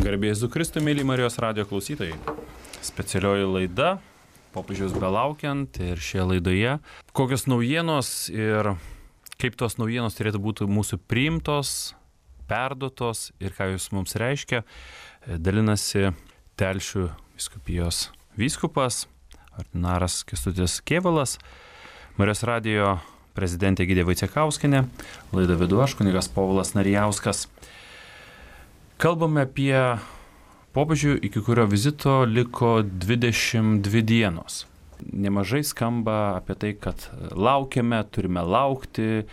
Garbė Jėzui Kristui, mėly Marijos radijo klausytojai. Specialioji laida, popiežiaus belaukiant, ir šioje laidoje kokios naujienos ir kaip tos naujienos turėtų būti mūsų priimtos, perduotos ir ką jūs mums reiškia, dalinasi Telšių vyskupijos vyskupas, ordinaras Kęstutis Kėvalas, Marijos radijo prezidentė Egidija Vaicekauskienė, laidą vedu aš, kunigas Povilas Narijauskas. Kalbame apie popiežių, iki kurio vizito liko 22 dienos. Nemažai skamba apie tai, kad laukiame, turime laukti.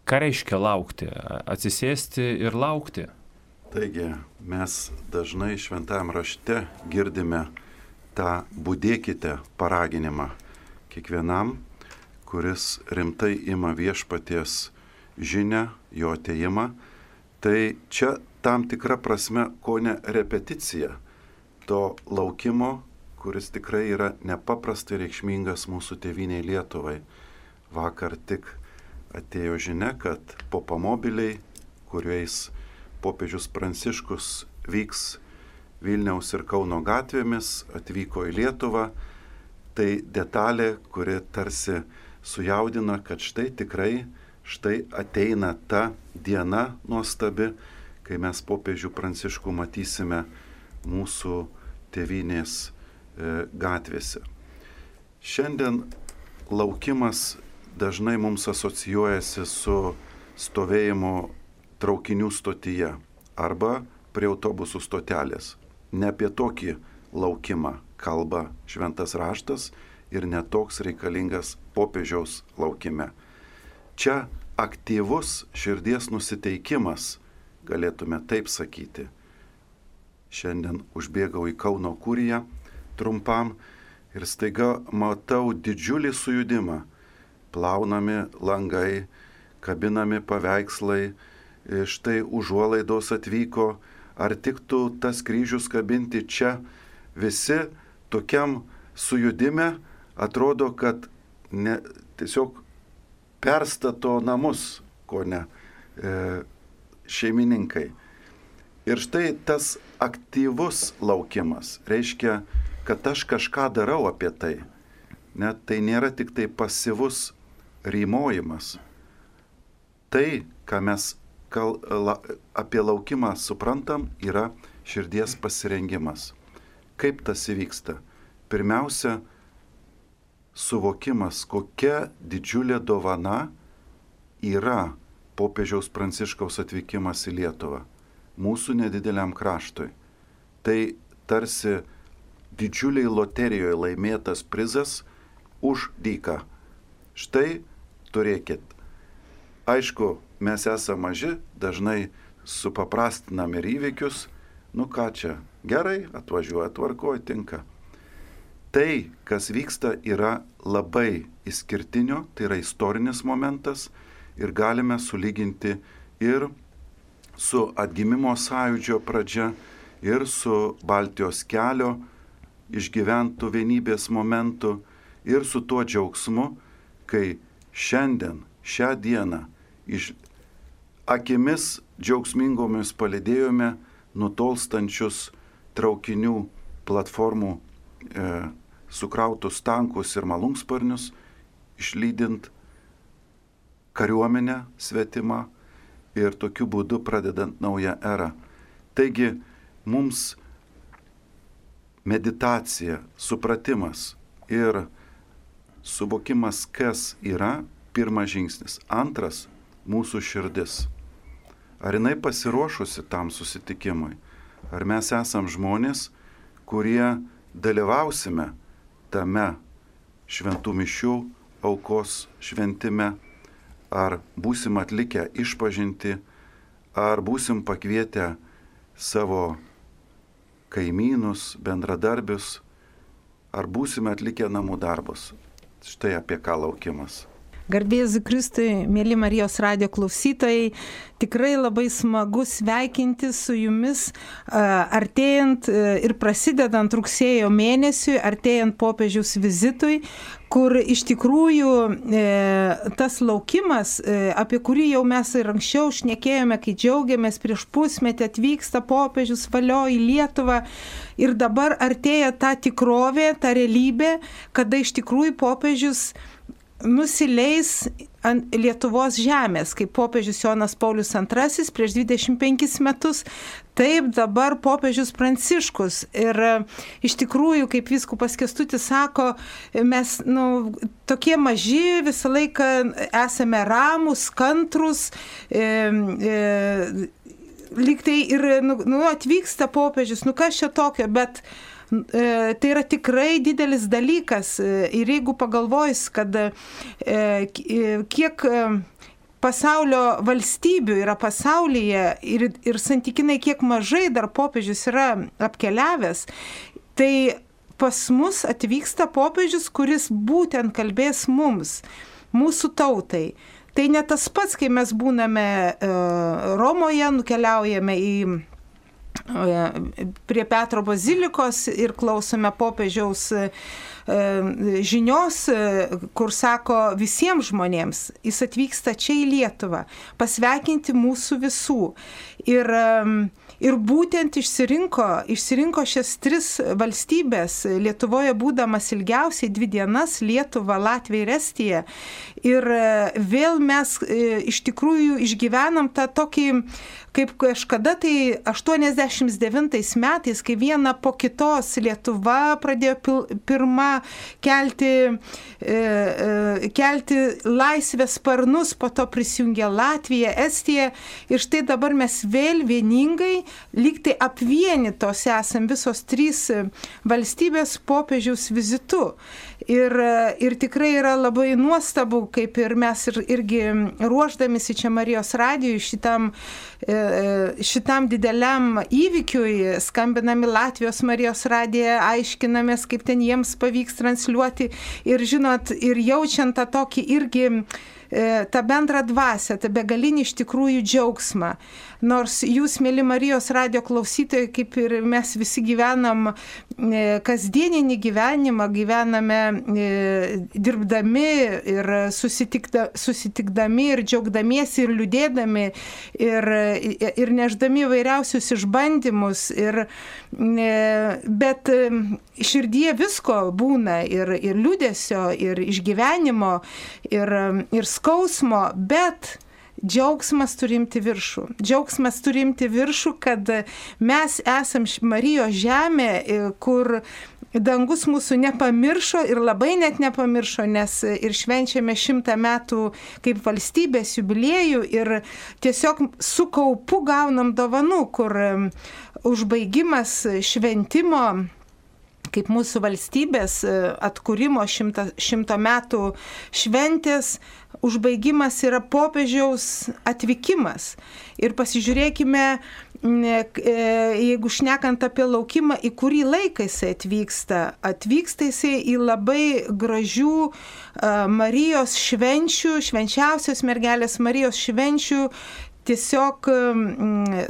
Ką reiškia laukti? Atsisėsti ir laukti? Taigi, mes dažnai šventajam rašte girdime tą budėkite paraginimą kiekvienam, kuris rimtai ima viešpaties žinią, jo atėjimą. Tai čia tam tikra prasme kone repeticija to laukimo, kuris tikrai yra nepaprastai reikšmingas mūsų tėvynei Lietuvai. Vakar tik atėjo žinia, kad popamobiliai, kuriais popiežius Pranciškus vyks Vilniaus ir Kauno gatvėmis, atvyko į Lietuvą. Tai detalė, kuri tarsi sujaudina, kad štai ateina ta diena nuostabi, kai mes popiežių Pranciškų matysime mūsų tėvynės gatvėse. Šiandien laukimas dažnai mums asocijuojasi su stovėjimu traukinių stotyje arba prie autobusų stotelės. Ne apie tokį laukimą kalba šventas raštas ir netoks reikalingas popiežiaus laukime. Čia aktyvus širdies nusiteikimas, galėtume taip sakyti. Šiandien užbėgau į Kauno kuriją trumpam ir staiga matau didžiulį sujudimą. Plaunami langai, kabinami paveikslai, štai užuolaidos atvyko, ar tiktų tas kryžius kabinti čia. Visi tokiam sujudime atrodo, kad tiesiog perstato namus, ko ne šeimininkai. Ir štai tas aktyvus laukimas reiškia, kad aš kažką darau apie tai. Net tai nėra tik tai pasyvus rymojimas. Tai, ką mes apie laukimą suprantam, yra širdies pasirengimas. Kaip tas įvyksta? Pirmiausia, suvokimas, kokia didžiulė dovana yra popiežiaus Pranciškaus atvykimas į Lietuvą, mūsų nedideliam kraštui. Tai tarsi didžiuliai loterijoje laimėtas prizas už dyką. Štai turėkit. Aišku, mes esame maži, dažnai supaprastinam ir įvykius. Nu ką čia, gerai, atvažiuoja, tvarkoja, tinka. Tai, kas vyksta, yra labai išskirtinio, tai yra istorinis momentas ir galime sulyginti ir su atgimimo sąjūdžio pradžia, ir su Baltijos kelio išgyventų vienybės momentu, ir su tuo džiaugsmu, kai šiandien, šią dieną, akimis džiaugsmingomis palydėjome nutolstančius traukinių platformų sukrautus tankus ir malūnsparnius, išlydint kariuomenę svetimą ir tokiu būdu pradedant naują erą. Taigi mums meditacija, supratimas ir suvokimas, kas yra, pirmas žingsnis. Antras, mūsų širdis. Ar jinai pasiruošusi tam susitikimui? Ar mes esam žmonės, kurie dalyvausime tame šventų mišių aukos šventime, ar būsim atlikę išpažintį, ar būsim pakvietę savo kaimynus, bendradarbius, ar būsime atlikę namų darbus. Štai apie ką laukimas. Garbė Jėzui Kristui, mėly Marijos radijo klausytojai, tikrai labai smagu sveikinti su jumis artėjant ir prasidedant rugsėjo mėnesiui, artėjant popiežiaus vizitui, kur iš tikrųjų tas laukimas, apie kurį jau mes ir anksčiau šnekėjome, kai džiaugiamės prieš pusmetį atvyksta popiežius valio į Lietuvą ir dabar artėja ta tikrovė, ta realybė, kada iš tikrųjų popiežius nusileis ant Lietuvos žemės, kaip popiežius Jonas Paulius II prieš 25 metus, taip dabar popiežius Pranciškus. Ir iš tikrųjų, kaip vyskupas Kęstutis sako, mes tokie maži, visą laiką esame ramūs, kantrus, lyg tai ir atvyksta popiežius, kas čia tokio, bet tai yra tikrai didelis dalykas ir jeigu pagalvojus, kad kiek pasaulio valstybių yra pasaulyje ir santykinai kiek mažai dar popiežius yra apkeliavęs, tai pas mus atvyksta popiežius, kuris būtent kalbės mums, mūsų tautai. Tai ne tas pats, kai mes būname Romoje, nukeliaujame prie Petro bazilikos ir klausome popiežiaus žinios, kur sako visiems žmonėms, jis atvyksta čia į Lietuvą, pasveikinti mūsų visų. Ir būtent išsirinko šias 3 valstybės, Lietuvoje būdamas ilgiausiai 2 dienas, Lietuva, Latvija ir Estija. Ir vėl mes iš tikrųjų išgyvenam tą tokį, kaip kažkada tai 89 metais, kai viena po kitos Lietuva pradėjo pirma kelti laisvės sparnus, po to prisijungė Latvija, Estija ir štai dabar mes vėl vieningai, lyg tai apvienytos esam visos 3 valstybės popiežiaus vizitu. Ir tikrai yra labai nuostabu, kaip ir mes irgi ruošdamisi čia Marijos radijui šitam dideliam įvykiui, skambinami Latvijos Marijos radiją, aiškinamės, kaip ten jiems pavyks transliuoti ir žinot, ir jaučiant tą tokį irgi tą bendrą dvasią, tą begalinį iš tikrųjų džiaugsmą. Nors jūs, mėly Marijos radijo klausytojai, kaip ir mes visi gyvenam kasdieninį gyvenimą, gyvename dirbdami ir susitikdami ir džiaugdamiesi ir liūdėdami ir neždami vairiausius išbandymus. Bet širdie visko būna ir liūdesio, ir išgyvenimo, ir skausmo, bet džiaugsmas turimti viršų. Džiaugsmas turimti viršų, kad mes esam Marijos žemė, kur dangus mūsų nepamiršo ir labai net nepamiršo, nes ir švenčiame 100 metų kaip valstybės jubiliejų ir tiesiog su kaupu gaunam dovanų, kur užbaigimas šventimo kaip mūsų valstybės atkūrimo 100 metų šventės užbaigimas yra popiežiaus atvykimas. Ir pasižiūrėkime, jeigu šnekant apie laukimą, į kurį laiką jisai atvyksta. Atvyksta jisai į labai gražių Marijos švenčių, švenčiausios mergelės Marijos švenčių tiesiog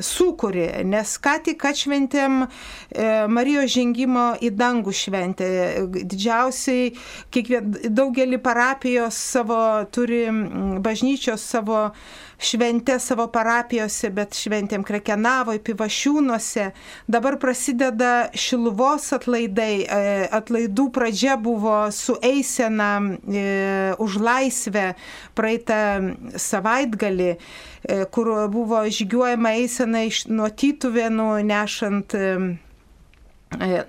sukūrė, nes ką tik atšventėm Marijos žengimo į dangų šventę. Didžiausiai, daugelį parapijos savo turi, bažnyčios savo šventę savo parapijose, bet šventėm Krekenavoje, Pivašiūnuose. Dabar prasideda Šiluvos atlaidai. Atlaidų pradžia buvo su eisena už laisvę praeitą savaitgalį, kur buvo žygiuojama eisena nuo Tytuvėnų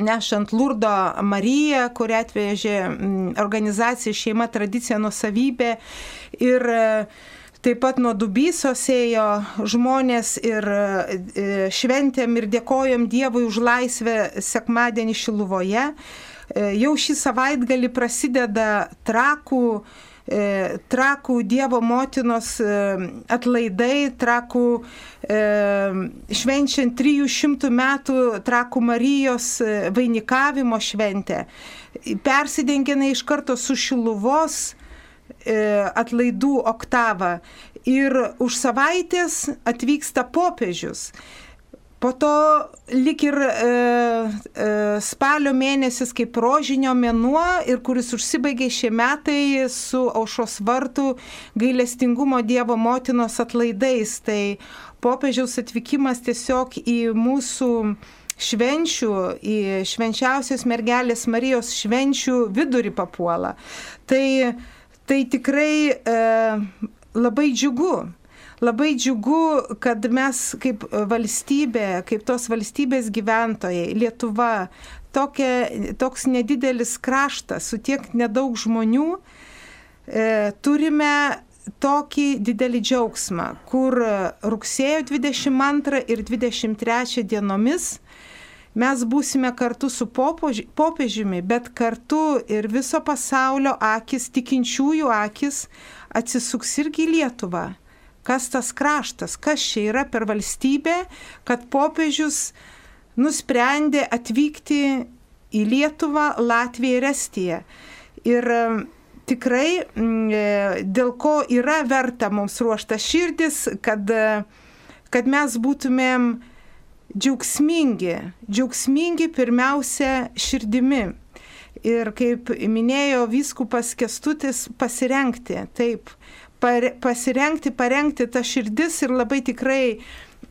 nešant Lurdo Mariją, kurią atvežė organizacija Šeima, tradicija, nuosavybė. Ir taip pat nuo Dubysos ėjo žmonės ir šventėm ir dėkojom Dievui už laisvę sekmadienį Šiluvoje. Jau šį savaitgalį prasideda Trakų Dievo motinos atlaidai, Trakų švenčiant 300 metų Trakų Marijos vainikavimo šventę. Persidengėme iš karto su Šiluvos atlaidų oktava ir už savaitės atvyksta popiežius. Po to lik ir spalio mėnesis kaip rožinio mėnuo ir kuris užsibaigė šie metai su Aušros vartų gailestingumo Dievo motinos atlaidais. Tai popiežiaus atvykimas tiesiog į mūsų švenčių, į švenčiausios mergelės Marijos švenčių vidurį papuola. Tai tikrai labai džiugu. Labai džiugu, kad mes kaip valstybė, kaip tos valstybės gyventojai, Lietuva, toks nedidelis kraštas su tiek nedaug žmonių, turime tokį didelį džiaugsmą, kur rugsėjo 22 ir 23 dienomis mes būsime kartu su popiežiumi, bet kartu ir viso pasaulio akis, tikinčiųjų akis atsisuks irgi į Lietuvą. Kas tas kraštas, kas čia yra per valstybę, kad popiežius nusprendė atvykti į Lietuvą, Latviją ir Estiją. Ir tikrai dėl ko yra verta mums ruošta širdis, kad mes būtumėm džiaugsmingi pirmiausia širdimi. Ir kaip minėjo vyskupas Kęstutis, pasirengti, taip. Parengti tą širdis ir labai tikrai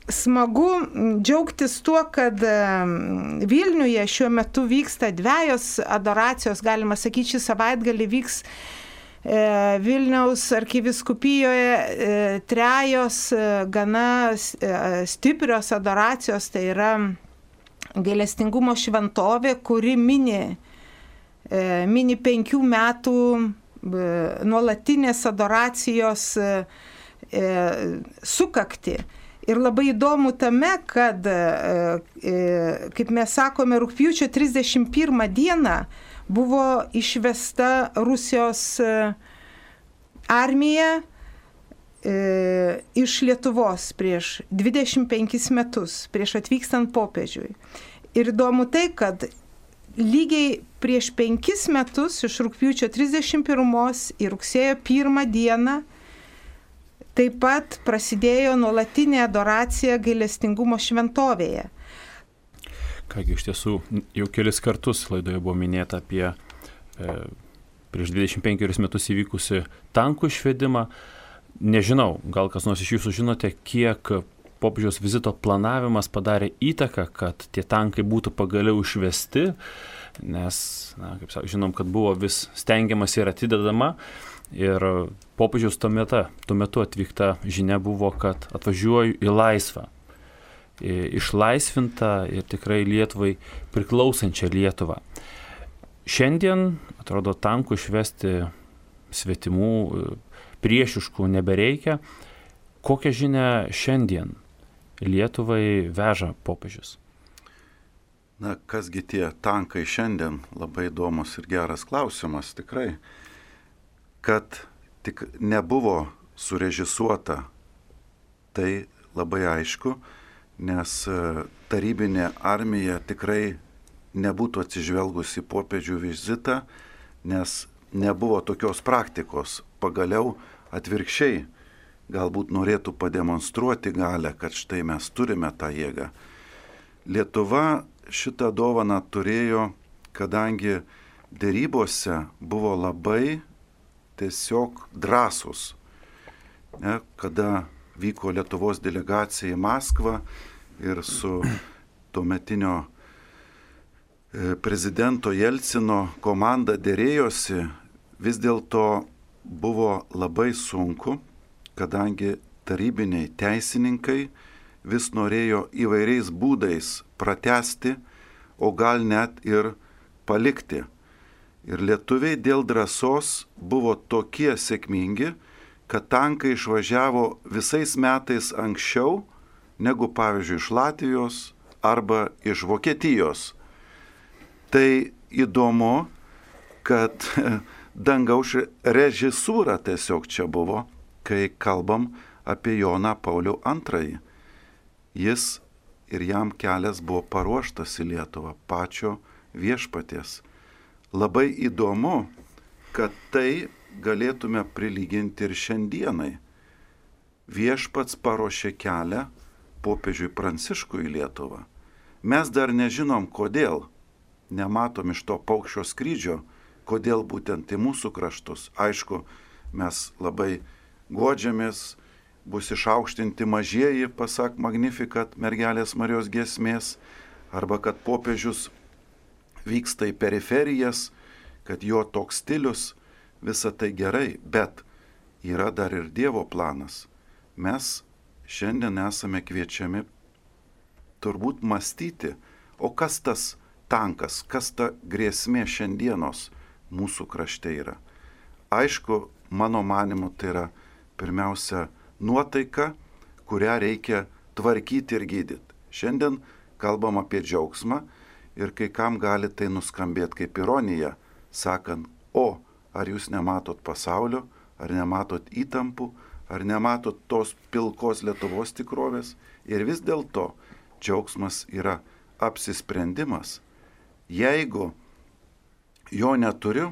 smagu džiaugtis tuo, kad Vilniuje šiuo metu vyksta 2 adoracijos, galima sakyti, šį savaitgalį vyks Vilniaus arkivyskupijoje 3 gana stiprios adoracijos, tai yra gailestingumo šventovė, kuri mini 5 metų nuolatinės adoracijos sukakti. Ir labai įdomu tame, kad, kaip mes sakome, rugpjūčio 31 dieną buvo išvesta Rusijos armija iš Lietuvos prieš 25 metus, prieš atvykstant popiežiui. Ir įdomu tai, kad lygiai prieš 5 metus, iš rugpjūčio 31 į rugsėjo 1 dieną, taip pat prasidėjo nuolatinė adoracija gailestingumo šventovėje. Kągi, iš tiesų, jau kelis kartus laidoje buvo minėta apie prieš 25 metus įvykusi tankų išvedimą. Nežinau, gal kas nors iš jūsų žinote, kiek popiežiaus vizito planavimas padarė įtaką, kad tie tankai būtų pagaliau išvesti, nes, kaip žinom, kad buvo vis stengiamas ir atidedama. Ir popiežiaus tuo metu atvykta žinia buvo, kad atvažiuoju į laisvą, išlaisvintą ir tikrai Lietuvai priklausančią Lietuvą. Šiandien, atrodo, tankų išvesti svetimų, priešiškų nebereikia. Kokią žinią šiandien Lietuvai veža popiežius? Na, kasgi tie tankai šiandien? Labai įdomus ir geras klausimas, tikrai. Kad tik nebuvo surežisuota, tai labai aišku, nes tarybinė armija tikrai nebūtų atsižvelgusi popiežių vizitą, nes nebuvo tokios praktikos. Pagaliau atvirkščiai galbūt norėtų pademonstruoti galę, kad štai mes turime tą jėgą. Lietuva šitą dovaną turėjo, kadangi derybose buvo labai tiesiog drąsus. Kada vyko Lietuvos delegacija į Maskvą ir su tuometinio prezidento Jelcino komanda dėrėjosi, vis dėlto buvo labai sunku, kadangi tarybiniai teisininkai vis norėjo įvairiais būdais pratęsti, o gal net ir palikti. Ir lietuviai dėl drąsos buvo tokie sėkmingi, kad tankai išvažiavo visais metais anksčiau negu, pavyzdžiui, iš Latvijos arba iš Vokietijos. Tai įdomu, kad dangaus režisūra tiesiog čia buvo, kai kalbam apie Joną Paulių II. Jis ir jam kelias buvo paruoštas į Lietuvą pačio viešpaties. Labai įdomu, kad tai galėtume prilyginti ir šiandienai. Viešpats paruošė kelią popiežiui Pranciškui į Lietuvą. Mes dar nežinom, kodėl, nematom iš to paukščio skrydžio, kodėl būtent į mūsų kraštus. Aišku, mes labai godžiamės, bus išaukštinti mažieji, pasak Magnificat mergelės Marijos giesmės, arba kad popiežius vyksta į periferijas, kad jo toks stilius, visa tai gerai, bet yra dar ir Dievo planas. Mes šiandien esame kviečiami turbūt mąstyti, o kas tas tankas, kas ta grėsmė šiandienos mūsų krašte yra. Aišku, mano manimu, tai yra pirmiausia nuotaika, kurią reikia tvarkyti ir gydyti. Šiandien kalbam apie džiaugsmą ir kai kam gali tai nuskambėti kaip ironija, sakant, o ar jūs nematot pasaulio, ar nematot įtampų, ar nematot tos pilkos Lietuvos tikrovės. Ir vis dėlto džiaugsmas yra apsisprendimas. Jeigu jo neturiu,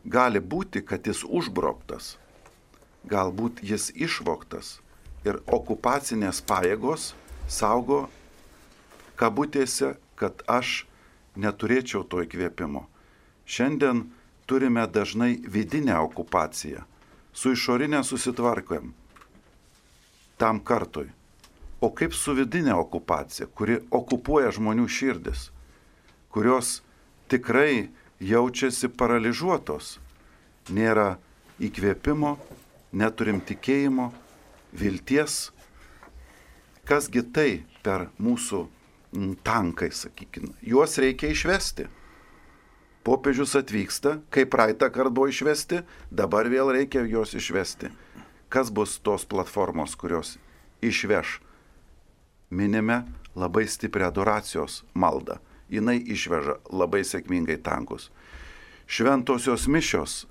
gali būti, kad jis užbroktas, galbūt jis išvogtas ir okupacinės pajėgos saugo kabutėse, kad aš neturėčiau to įkvėpimo. Šiandien turime dažnai vidinę okupaciją, su išorinė susitvarkojam tam kartui. O kaip su vidinė okupacija, kuri okupuoja žmonių širdis, kurios tikrai jaučiasi paralyžiuotos, nėra įkvėpimo, neturim tikėjimo, vilties. Kasgi tai per mūsų tankai, sakykime, juos reikia išvesti. Popiežius atvyksta, kaip praeitą kartą buvo išvesti, dabar vėl reikia juos išvesti. Kas bus tos platformos, kurios išveš? Minime labai stiprią adoracijos maldą. Jinai išveža labai sėkmingai tankus. Šventosios mišios,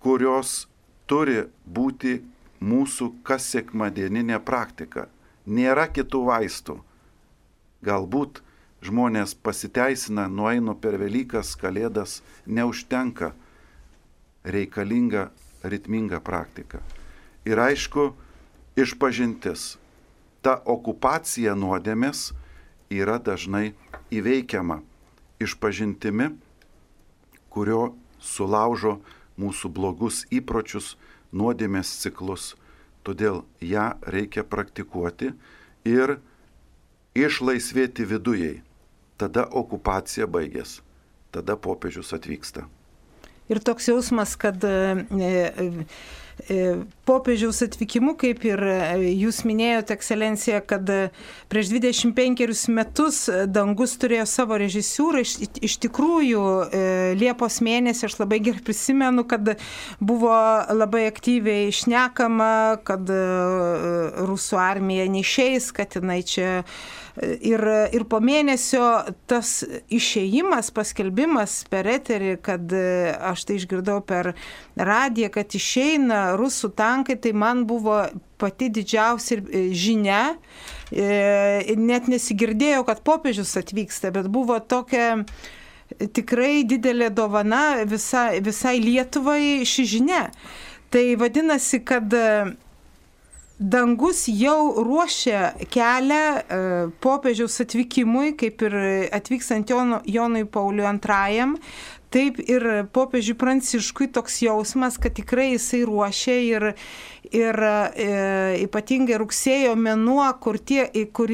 kurios turi būti mūsų kas sekmadieninė praktika. Nėra kitų vaistų. Galbūt žmonės pasiteisina, nueina per Velykas, Kalėdas, neužtenka, reikalinga ritminga praktika. Ir aišku, išpažintis. Ta okupacija nuodėmės yra dažnai įveikiama išpažintimi, kurio sulaužo mūsų blogus įpročius, nuodėmės ciklus. Todėl ją reikia praktikuoti ir išlaisvėti vidujai. Tada okupacija baigės, tada popiežius atvyksta. Ir toks jausmas, kad popiežiaus atvykimu, kaip ir jūs minėjote, ekscelencija, kad prieš 25 metus dangus turėjo savo režisūrą. Iš tikrųjų, Liepos mėnesį aš labai gerai prisimenu, kad buvo labai aktyviai šnekama, kad rusų armija neišeis, kad jinai čia. Ir po mėnesio tas išėjimas, paskelbimas per eterį, kad aš tai išgirdau per radiją, kad išeina rusų tankai, tai man buvo pati didžiausia žinia. Net nesigirdėjau, kad popiežius atvyksta, bet buvo tokia tikrai didelė dovana visai Lietuvai ši žinia. Tai vadinasi, kad dangus jau ruošia kelią popiežiaus atvykimui, kaip ir atvykstant Jonui Pauliui II, taip ir popiežiui Pranciškui toks jausmas, kad tikrai jisai ruošia ir ypatingai rugsėjo mėnuo, kur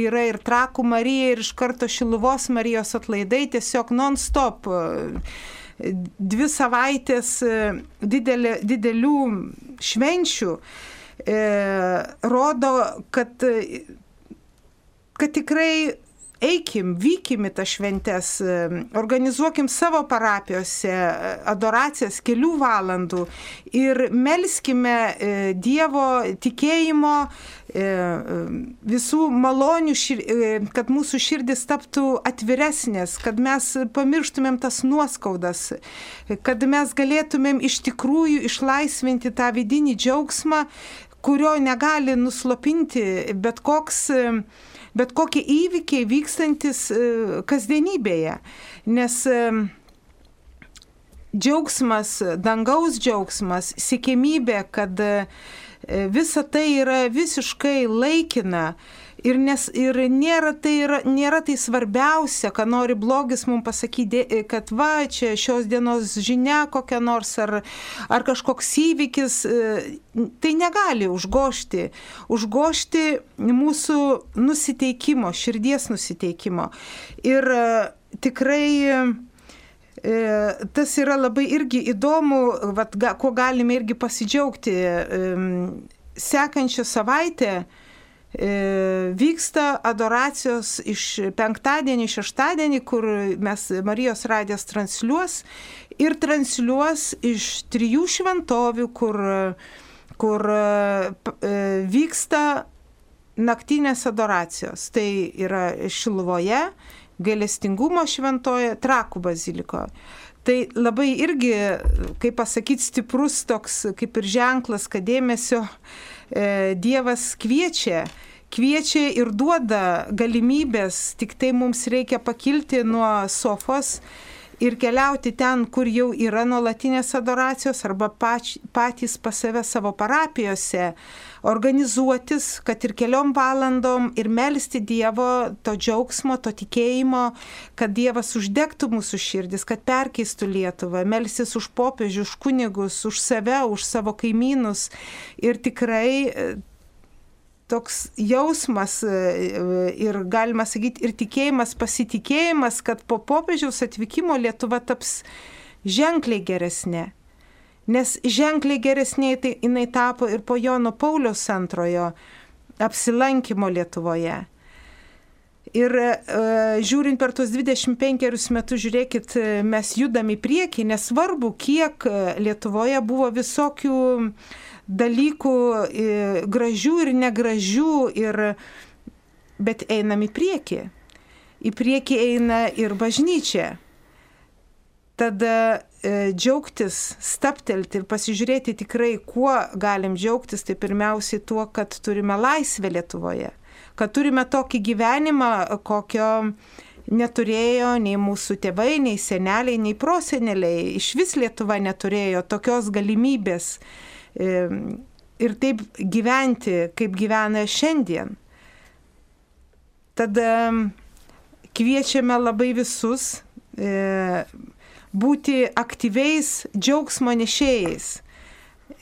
yra ir Trakų Marija, ir iš karto Šiluvos Marijos atlaidai, tiesiog non-stop. 2 savaitės didelių švenčių rodo, kad tikrai eikim, vykim į tas šventes, organizuokim savo parapijose adoracijas kelių valandų ir melskime Dievo tikėjimo, visų malonių, kad mūsų širdis taptų atviresnės, kad mes pamirštumėm tas nuoskaudas, kad mes galėtumėm iš tikrųjų išlaisvinti tą vidinį džiaugsmą, kurio negali nuslopinti bet kokie įvykiai vykstantis kasdienybėje. Nes džiaugsmas, dangaus džiaugsmas, siekiamybė, kad visa tai yra visiškai laikina, Ir nėra tai svarbiausia, ką nori blogis mums pasakyti, kad va, čia šios dienos žinia kokia nors ar kažkoks įvykis, tai negali užgožti mūsų nusiteikimo, širdies nusiteikimo. Ir tikrai tas yra labai irgi įdomu, ko galime irgi pasidžiaugti. Sekančią savaitę vyksta adoracijos iš penktadienį, šeštadienį, kur mes Marijos radijas transliuos iš 3 šventovių, kur vyksta naktinės adoracijos. Tai yra Šiluvoje, Gailestingumo šventoje, Trakų bazilikoje. Tai labai irgi, kaip pasakyti, stiprus toks kaip ir ženklas, kad dėmesio Dievas kviečia ir duoda galimybės, tik tai mums reikia pakilti nuo sofos ir keliauti ten, kur jau yra nuolatinės adoracijos, arba patys pas save savo parapijose, organizuotis, kad ir 4 valandom ir melsti Dievo to džiaugsmo, to tikėjimo, kad Dievas uždegtų mūsų širdis, kad perkeistų Lietuvą, melstis už popiežių, už kunigus, už save, už savo kaimynus. Ir tikrai toks jausmas ir, galima sakyti, ir tikėjimas, pasitikėjimas, kad po popiežiaus atvykimo Lietuva taps ženkliai geresnė. Nes ženkliai geresnė tai jinai tapo ir po Jono Pauliaus II apsilankimo Lietuvoje. Ir žiūrint per tuos 25 metus, žiūrėkit, mes judam į priekį, nesvarbu, kiek Lietuvoje buvo visokių dalykų gražių ir negražių, bet einam į priekį. Į priekį eina ir bažnyčia. Tada džiaugtis, staptelti ir pasižiūrėti tikrai, kuo galim džiaugtis, tai pirmiausiai tuo, kad turime laisvę Lietuvoje, kad turime tokį gyvenimą, kokio neturėjo nei mūsų tėvai, nei seneliai, nei proseneliai. Iš vis Lietuva neturėjo tokios galimybės ir taip gyventi, kaip gyvena šiandien. Tada kviečiame labai visus būti aktyviais džiaugsmo nešėjais.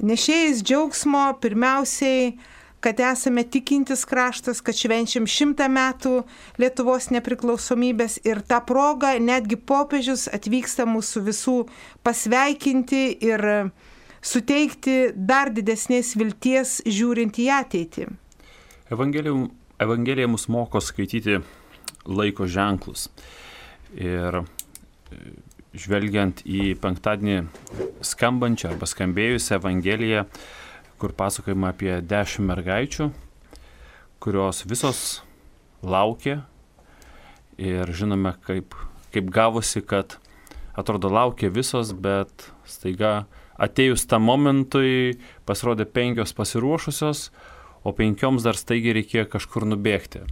Nešėjais džiaugsmo pirmiausiai, kad esame tikintis kraštas, kad švenčiam 100 metų Lietuvos nepriklausomybės ir tą progą netgi popiežius atvyksta mūsų visų pasveikinti ir suteikti dar didesnės vilties žiūrint į ateitį. Evangelija mus moko skaityti laiko ženklus. Ir žvelgiant į penktadienį skambančią arba skambėjusią Evangeliją, kur pasakojama apie 10 mergaičių, kurios visos laukė ir žinome, kaip gavosi, kad atrodo laukė visos, bet staiga atėjus tam momentui pasirodė 5 pasiruošusios, o 5 dar staigiai reikėjo kažkur nubėgti.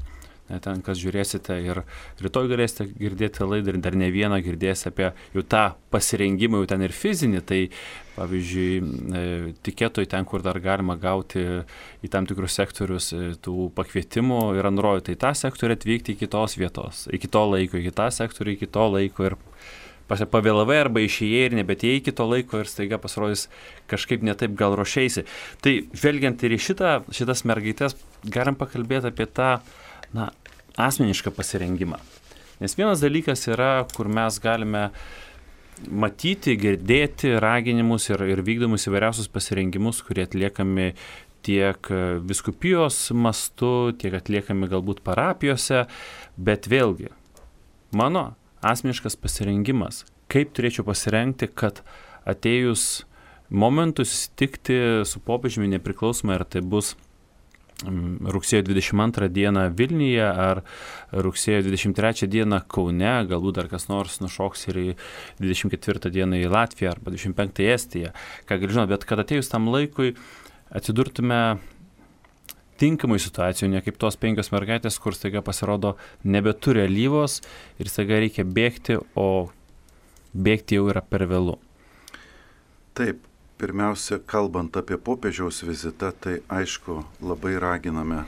Ten, kas žiūrėsite ir rytoj galėsite girdėti laidą ir dar ne vieną girdėsite apie jau tą pasirengimą, jau ten ir fizinį, tai pavyzdžiui, tikėtoj ten, kur dar galima gauti į tam tikrus sektorius tų pakvietimų, yra nurodyta į tą sektorių atvykti iki tos vietos, iki to laiko, iki tą sektorių, iki to laiko ir pavėlavai arba išėjai ir nebetėjai iki to laiko ir staiga pasirodys kažkaip netaip gal ruošeisi. Tai žvelgiant ir į šitas mergaitės, galim pakalbėti apie tą asmenišką pasirengimą. Nes vienas dalykas yra, kur mes galime matyti, girdėti raginimus ir vykdomus įvairiausius pasirengimus, kurie atliekami tiek vyskupijos mastu, tiek atliekami galbūt parapijose, bet vėlgi, mano asmeniškas pasirengimas, kaip turėčiau pasirengti, kad atėjus momentui susitikti su popiežiumi nepriklausomai, ar tai bus rugsėjo 22 dieną Vilniuje ar rugsėjo 23 dieną Kaune, galbūt dar kas nors nušoks ir į 24 dieną į Latviją arba 25 į Estiją, ką gali žinoti, bet kad atėjus tam laikui atsidurtume tinkamai situacijų, ne kaip tos 5 mergaitės, kur staiga pasirodo nebeturi alyvos ir staiga reikia bėgti, o bėgti jau yra per vėlu. Taip. Pirmiausia, kalbant apie popiežiaus vizitą, tai aišku, labai raginame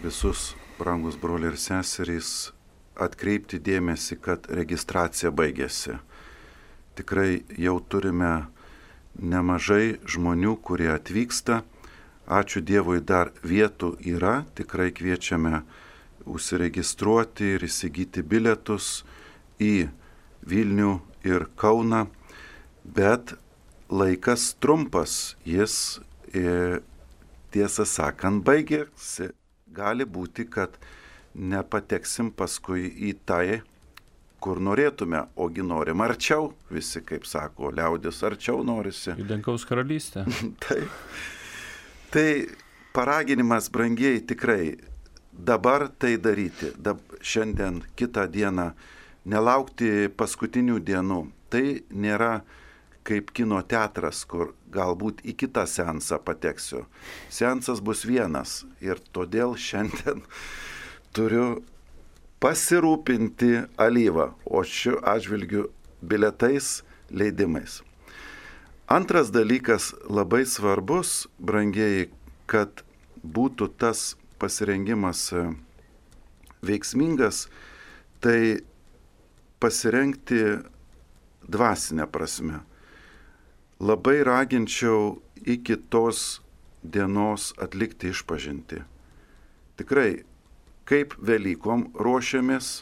visus brangus broliai ir seserys, atkreipti dėmesį, kad registracija baigėsi. Tikrai jau turime nemažai žmonių, kurie atvyksta. Ačiū Dievui, dar vietų yra. Tikrai kviečiame užsiregistruoti ir įsigyti bilietus į Vilnių ir Kauną. Bet laikas trumpas, jis tiesą sakant baigėsi. Gali būti, kad nepateksim paskui į tai, kur norėtume, ogi norim arčiau, visi, kaip sako, liaudis arčiau norisi. Į dangaus karalystę. Tai paraginimas, brangieji, tikrai dabar tai daryti, šiandien, kitą dieną, nelaukti paskutinių dienų. Tai nėra kaip kino teatras, kur galbūt į kitą seansą pateksiu. Seansas bus vienas ir todėl šiandien turiu pasirūpinti alyvą, o šiuo atžvilgiu bilietais, leidimais. Antras dalykas labai svarbus, brangieji, kad būtų tas pasirengimas veiksmingas, tai pasirengti dvasinę prasme. Labai raginčiau iki tos dienos atlikti išpažintį. Tikrai, kaip Velykom ruošiamės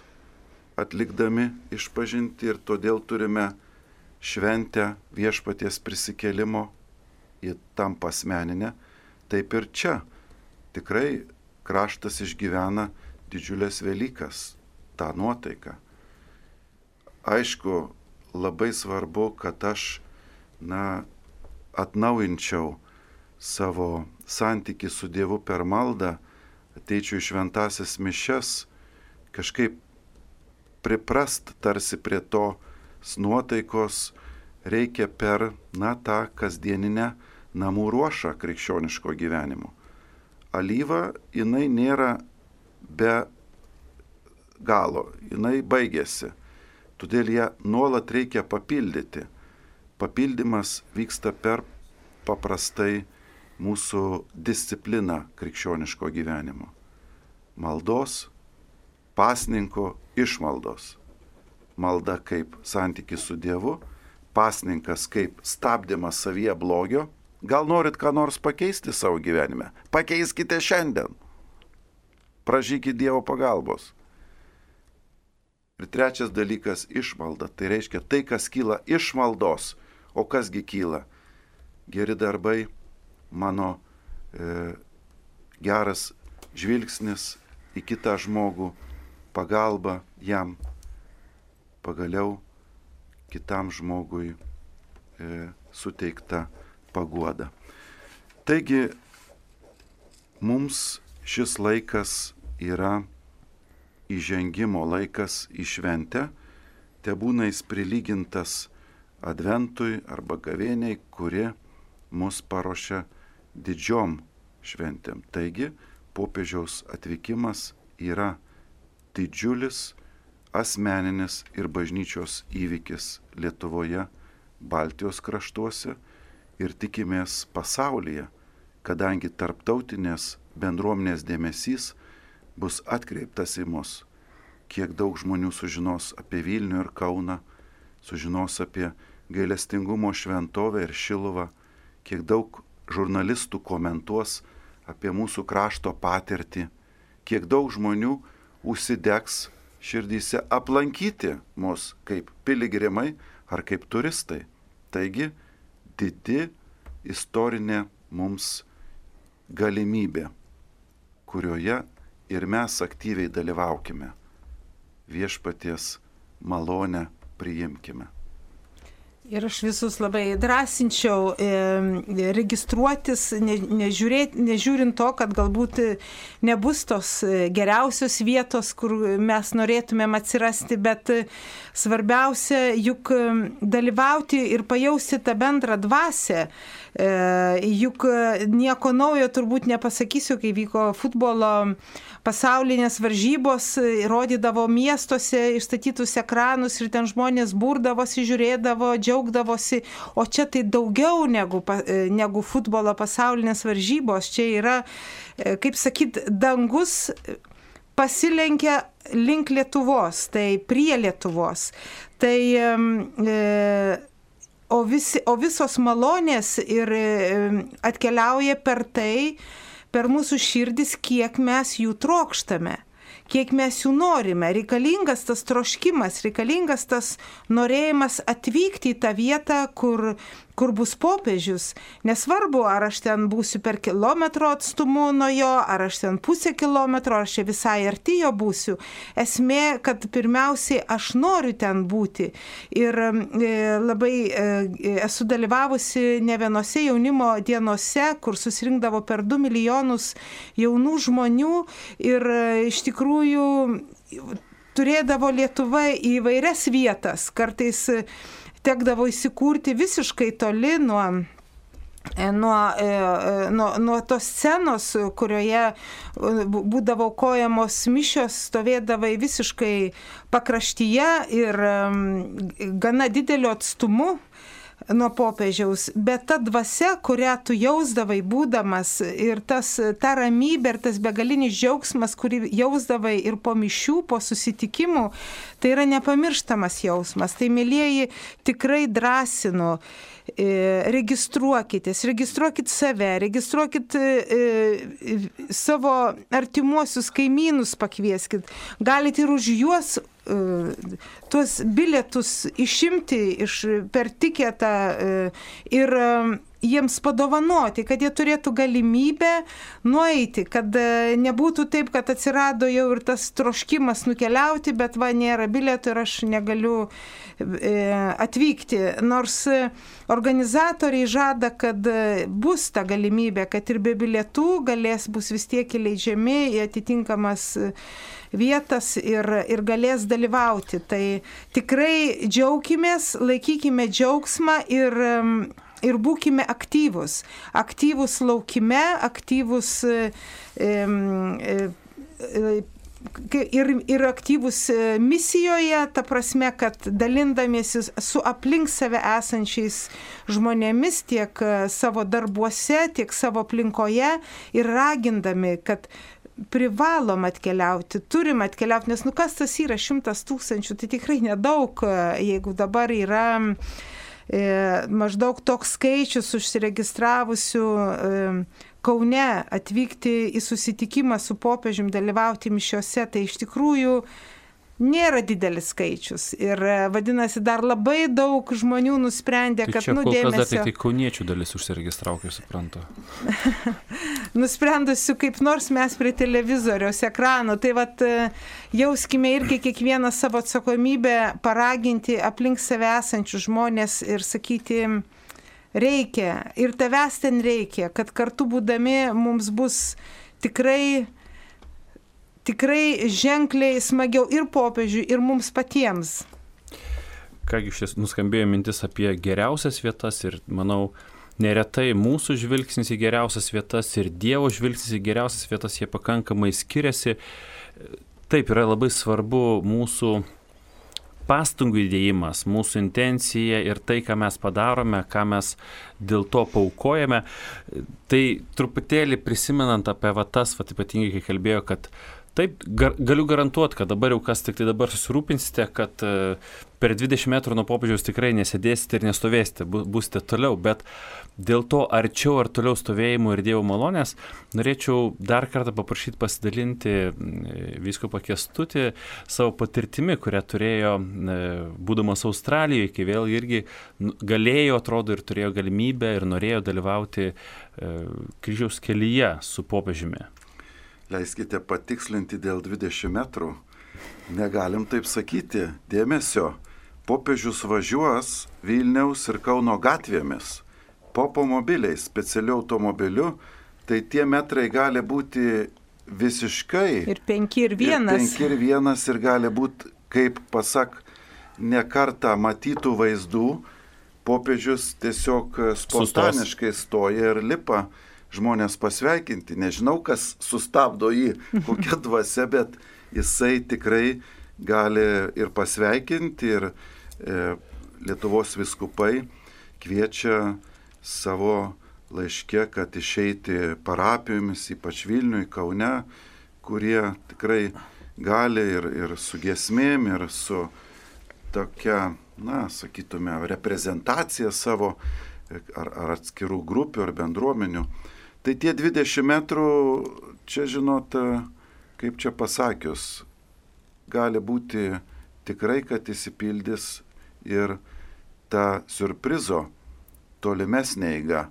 atlikdami išpažintį ir todėl turime šventę viešpaties prisikėlimo, ji tampa asmeninė, taip ir čia tikrai kraštas išgyvena didžiulės Velykas, tą nuotaiką. Aišku, labai svarbu, kad aš atnaujinčiau savo santykį su Dievu per maldą, ateičiau į šventąsias mišias, kažkaip priprast tarsi prie tos nuotaikos reikia per tą kasdieninę namų ruošą krikščioniško gyvenimo. Alyva, jinai nėra be galo, jinai baigėsi, todėl ją nuolat reikia papildyti. Papildymas vyksta per paprastai mūsų discipliną krikščioniško gyvenimo. Maldos, pasninko, išmaldos. Malda kaip santykis su Dievu, pasninkas kaip stabdymas savyje blogio. Gal norit ką nors pakeisti savo gyvenime? Pakeiskite šiandien. Prašykit Dievo pagalbos. Ir trečias dalykas - išmalda. Tai reiškia tai, kas kyla iš maldos. O kasgi kyla? Geri darbai, mano geras žvilgsnis į kitą žmogų, pagalba jam, pagaliau kitam žmogui suteikta paguoda. Taigi, mums šis laikas yra įžengimo laikas į šventę, tebūna jis prilygintas Adventui arba gavėniai, kuri mus paruošia didžiom šventėm. Taigi, popiežiaus atvykimas yra didžiulis asmeninis ir bažnyčios įvykis Lietuvoje, Baltijos kraštuose ir tikimės pasaulyje, kadangi tarptautinės bendruomenės dėmesys bus atkreiptas į mus. Kiek daug žmonių sužinos apie Vilnių ir Kauną, sužinos apie gailestingumo šventovę ir Šiluvą, kiek daug žurnalistų komentuos apie mūsų krašto patirtį, kiek daug žmonių užsidegs širdyse aplankyti mus kaip piligrimai ar kaip turistai. Taigi, didi istorinė mums galimybė, kurioje ir mes aktyviai dalyvaukime. Viešpaties malonę priimkime. Ir aš visus labai drąsinčiau registruotis, nežiūrint to, kad galbūt nebus tos geriausios vietos, kur mes norėtumėm atsirasti, bet svarbiausia juk dalyvauti ir pajausti tą bendrą dvasią. Juk nieko naujo turbūt nepasakysiu, kai vyko futbolo pasaulinės varžybos, rodydavo miestuose išstatytus ekranus ir ten žmonės burdavosi, žiūrėdavo, džiaugdavosi, o čia tai daugiau negu futbolo pasaulinės varžybos. Čia yra, kaip sakyt, dangus pasilenkia link Lietuvos, tai prie Lietuvos. Tai o visos malonės ir atkeliauja per tai, per mūsų širdis, kiek mes jų trokštame, kiek mes jų norime. Reikalingas tas troškimas, reikalingas tas norėjimas atvykti į tą vietą, kur bus popiežius. Nesvarbu, ar aš ten būsiu per kilometro atstumu nuo jo, ar aš ten pusę kilometro, ar aš visai arti jo būsiu. Esmė, kad pirmiausiai aš noriu ten būti. Ir labai esu dalyvavusi ne vienose jaunimo dienose, kur susirinkdavo per 2 milijonus jaunų žmonių ir iš tikrųjų turėdavo Lietuva įvairias vietas. Kartais tekdavo įsikurti visiškai toli nuo tos scenos, kurioje būdavo aukojamos mišios, stovėdavai visiškai pakraštyje ir gana dideliu atstumu nuo popiežiaus, bet ta dvasia, kurią tu jausdavai būdamas ir ta ramybė ir tas begalinis džiaugsmas, kurį jausdavai ir po mišių, po susitikimų, tai yra nepamirštamas jausmas. Tai, mielieji, tikrai drąsinu, registruokit save, registruokit savo artimuosius kaimynus, pakvieskit. Galite ir už juos tuos bilietus išimti per tiketą ir jiems padovanoti, kad jie turėtų galimybę nueiti, kad nebūtų taip, kad atsirado jau ir tas troškimas nukeliauti, bet nėra bilietų ir aš negaliu atvykti. Nors organizatoriai žada, kad bus ta galimybė, kad ir be bilietų bus vis tiek įleidžiami į atitinkamas vietas ir galės dalyvauti. Tai tikrai džiaukimės, laikykime džiaugsmą ir būkime aktyvus. Aktyvus laukime, aktyvus ir aktyvus misijoje, ta prasme, kad dalindamiesi su aplink save esančiais žmonėmis tiek savo darbuose, tiek savo aplinkoje ir ragindami, kad privalom atkeliauti, turim atkeliauti, nes kas tas yra 100 000, tai tikrai nedaug, jeigu dabar yra maždaug toks skaičius užsiregistravusių Kaune atvykti į susitikimą su popiežium, dalyvauti mišiose, tai iš tikrųjų nėra didelis skaičius. Ir vadinasi, dar labai daug žmonių nusprendė, kad dėmesio... Tai čia kol kas dar tik kauniečių dalis užsiregistravo, kaip suprantu. Nusprendusiu kaip nors mes prie televizoriaus ekranų. Tai jauskime irgi kiekvieną savo atsakomybę paraginti aplink save esančius žmonės ir sakyti, reikia, ir tavęs ten reikia, kad kartu būdami mums bus tikrai ženkliai smagiau ir popiežiui, ir mums patiems. Kągi, šis nuskambėjo mintis apie geriausias vietas ir, manau, neretai mūsų žvilgsnis į geriausias vietas ir Dievo žvilgsnis į geriausias vietas, jie pakankamai skiriasi. Taip, yra labai svarbu mūsų pastangų įdėjimas, mūsų intencija ir tai, ką mes padarome, ką mes dėl to paaukojame. Tai truputėlį prisimenant apie tas, ypatingai kai kalbėjo, kad taip, galiu garantuoti, kad dabar jau kas tik tai dabar susirūpinsite, kad per 20 metrų nuo popiežiaus tikrai nesėdėsite ir nestovėsite, būsite toliau, bet dėl to arčiau ar toliau stovėjimo ir Dievo malonės norėčiau dar kartą paprašyti pasidalinti vyskupą Kęstutį savo patirtimi, kurią turėjo būdamas Australijoje, kai vėl irgi galėjo, atrodo, ir turėjo galimybę ir norėjo dalyvauti kryžiaus kelyje su popiežiumi. Leiskite patikslinti dėl 20 metrų. Negalim taip sakyti. Dėmesio, popiežius važiuos Vilniaus ir Kauno gatvėmis. Popomobiliais, specialiu automobiliu, tai tie metrai gali būti visiškai. Ir 5 ir 1. Ir 5 ir 1 ir gali būti, kaip pasak, ne kartą matytų vaizdų, popiežius tiesiog spontaniškai stoja ir lipa žmonės pasveikinti. Nežinau, kas sustabdo jį, kokia dvasia, bet jisai tikrai gali ir pasveikinti, ir Lietuvos vyskupai kviečia savo laiške, kad išeiti parapijomis, ypač Vilniui, Kaune, kurie tikrai gali ir su giesmėm, ir su tokia, sakytume, reprezentacija savo ar atskirų grupių, ar bendruomenių. Tai tie 20 metrų, čia žinot, kaip čia pasakius, gali būti tikrai, kad įsipildys ir ta siurprizo tolimesnė eiga,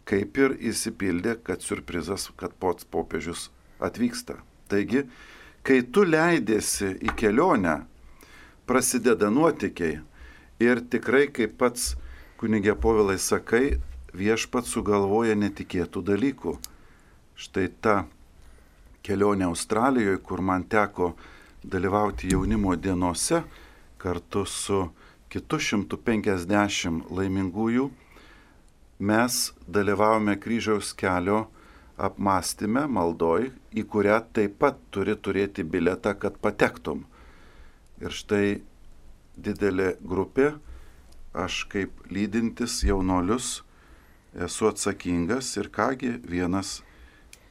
kaip ir įsipildė, kad siurprizas, kad pats popiežius atvyksta. Taigi, kai tu leidėsi į kelionę, prasideda nuotykiai ir tikrai, kaip pats kunigė Povilai sakai, viešpats sugalvoja netikėtų dalykų. Štai ta kelionė Australijoje, kur man teko dalyvauti jaunimo dienose kartu su kitu 150 laimingųjų, mes dalyvavome kryžiaus kelio apmąstyme, maldoj, į kurią taip pat turi turėti biletą, kad patektum. Ir štai didelė grupė, aš kaip lydintis jaunolius esu atsakingas ir kągi vienas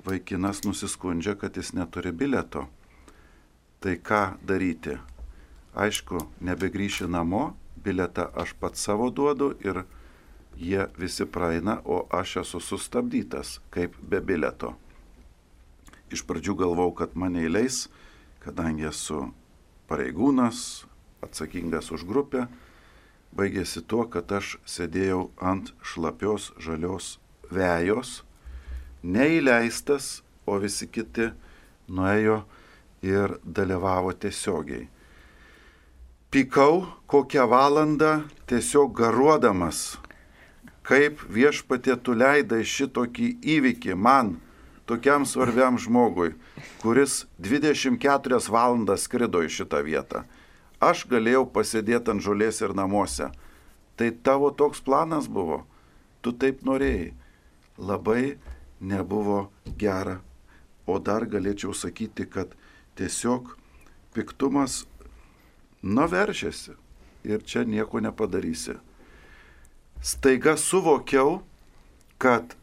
vaikinas nusiskundžia, kad jis neturi bileto. Tai ką daryti? Aišku, nebegrįši namo, biletą aš pats savo duodu ir jie visi praeina, o aš esu sustabdytas kaip be bileto. Iš pradžių galvau, kad mane įleis, kadangi esu pareigūnas, atsakingas už grupę. Baigėsi tuo, kad aš sėdėjau ant šlapios žalios vejos, neįleistas, o visi kiti nuėjo ir dalyvavo tiesiogiai. Pykau kokią valandą tiesiog garuodamas, kaip viešpatie tu leidai šitokį įvykį man, tokiam svarbiam žmogui, kuris 24 valandas skrido į šitą vietą. Aš galėjau pasėdėti ant žolės ir namuose. Tai tavo toks planas buvo. Tu taip norėjai. Labai nebuvo gera. O dar galėčiau sakyti, kad tiesiog piktumas nuveržėsi. Ir čia nieko nepadarysi. Staiga suvokiau, kad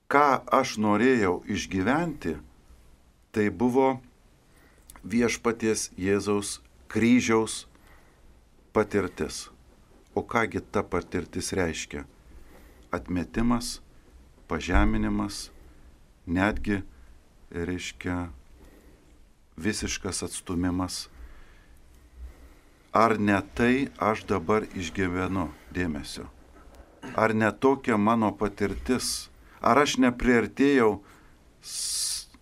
ką aš norėjau išgyventi, tai buvo viešpaties Jėzaus kryžiaus patirtis. O kągi ta patirtis reiškia? Atmetimas, pažeminimas, netgi reiškia visiškas atstumimas. Ar ne tai aš dabar išgyvenu, dėmesio? Ar ne tokia mano patirtis? Ar aš nepriartėjau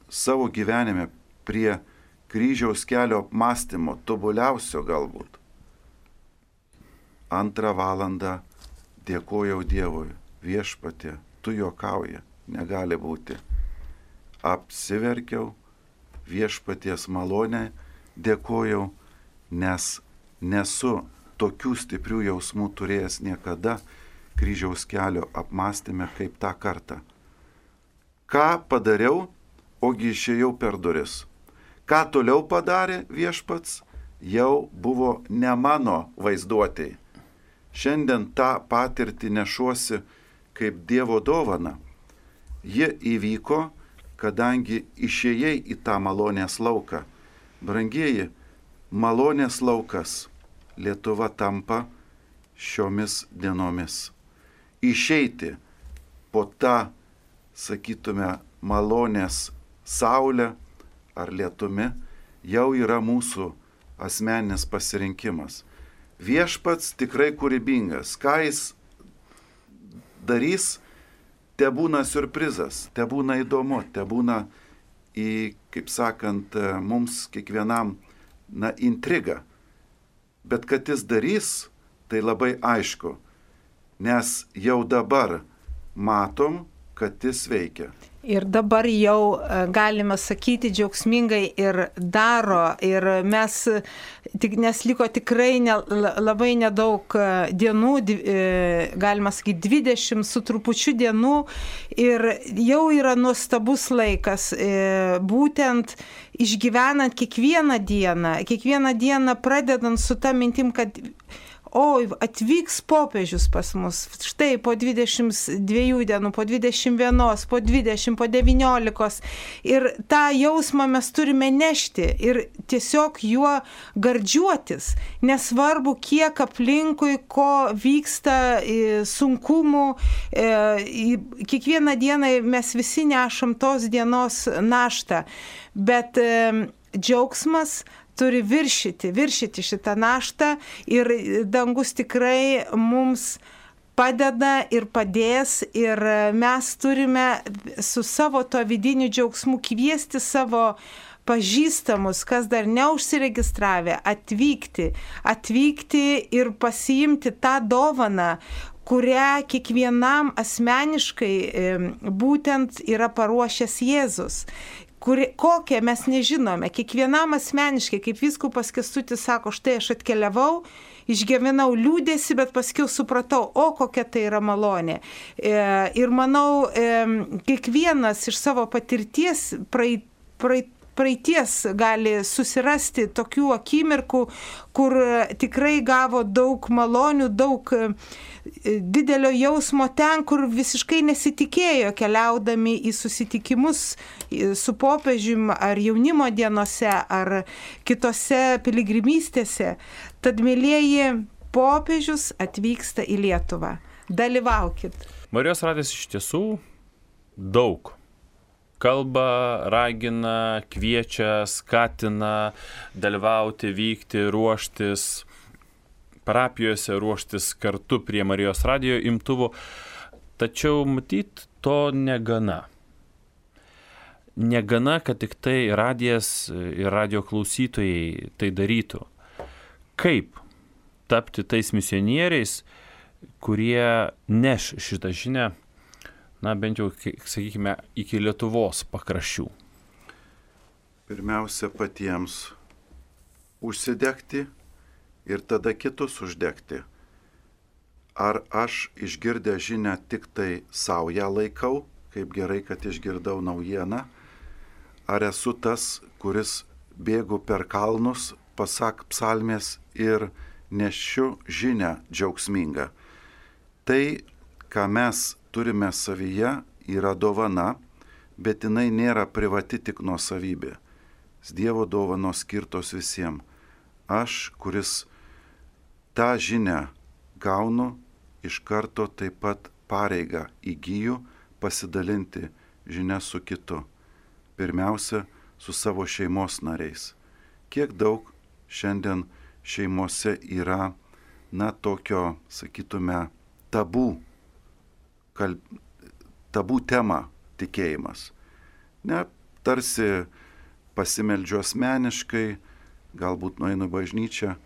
savo gyvenime prie kryžiaus kelio apmąstymo, tobuliausio galbūt? 2 valandą dėkojau Dievui, viešpatie, tu juokauji, negali būti. Apsiverkiau, viešpaties malonę dėkojau, nes nesu tokių stiprių jausmų turėjęs niekada kryžiaus kelio apmąstyme kaip tą kartą. Ką padariau, ogi išėjau per duris. Ką toliau padarė viešpats, jau buvo ne mano vaizduotėj. Šiandien tą patirtį nešuosi kaip Dievo dovana. Ji įvyko, kadangi išėjai į tą malonės lauką. Brangieji, malonės laukas Lietuva tampa šiomis dienomis. Išeiti po tą, sakytume, malonės saulę ar lietumi jau yra mūsų asmeninis pasirinkimas. Viešpats tikrai kūrybingas. Ką jis darys, te būna siurprizas, te būna įdomu, te būna kaip sakant, mums kiekvienam intriga. Bet kad jis darys, tai labai aišku, nes jau dabar matom, kad jis veikia. Ir dabar jau galime sakyti džiaugsmingai ir daro. Ir nes liko tikrai labai nedaug dienų, galima sakyti 20 su trupučiu dienų. Ir jau yra nuostabus laikas, būtent išgyvenant kiekvieną dieną pradedant su ta mintim, kad oi, atvyks popiežius pas mus, štai po 22 dienų, po 21, po 20, po 19. Ir tą jausmą mes turime nešti ir tiesiog juo gardžiuotis. Nesvarbu, kiek aplinkui, ko vyksta, sunkumų. Kiekvieną dieną mes visi nešam tos dienos naštą, bet džiaugsmas turi viršyti šitą naštą ir dangus tikrai mums padeda ir padės ir mes turime su savo to vidiniu džiaugsmu kviesti savo pažįstamus, kas dar neužsiregistravę, atvykti ir pasiimti tą dovaną, kurią kiekvienam asmeniškai būtent yra paruošęs Jėzus. Kokią mes nežinome, kiekvienam asmeniškai, kaip vyskupas Kęstutis sako, štai aš atkeliavau, išgyvenau liūdėsi, bet paskiau supratau, kokia tai yra malonė. Ir manau, kiekvienas iš savo patirties praeities gali susirasti tokių akimirkų, kur tikrai gavo daug malonių, daug didelio jausmo ten, kur visiškai nesitikėjo, keliaudami į susitikimus su popiežium ar jaunimo dienose ar kitose piligrimystėse. Tad, mėlieji, popiežius atvyksta į Lietuvą. Dalyvaukit. Marijos radijas iš tiesų daug. Kalba, ragina, kviečia, skatina dalyvauti, vykti, ruoštis parapijose, ruoštis kartu prie Marijos radijo imtuvų. Tačiau matyt, to negana. Negana, kad tik tai radijas ir radio klausytojai tai darytų. Kaip tapti tais misionieriais, kurie neš šitą žinią, bent jau, sakykime, iki Lietuvos pakraščių? Pirmiausia, patiems užsidegti ir tada kitus uždegti. Ar aš išgirdęs žinią tik tai savo ją laikau, kaip gerai, kad išgirdau naujieną, ar esu tas, kuris bėgu per kalnus, pasak psalmės ir nešiu žinią džiaugsmingą. Tai, ką mes turime savyje, yra dovana, bet jinai nėra privati tik nuosavybė. Dievo dovanos skirtos visiems. Aš, kuris tą žinią gaunu, iš karto taip pat pareigą įgyju pasidalinti žinią su kitu. Pirmiausia, su savo šeimos nariais. Kiek daug šiandien šeimose yra, tokio, sakytume, tabų tema tikėjimas. Tarsi pasimeldžiu asmeniškai, galbūt nueinu į bažnyčią.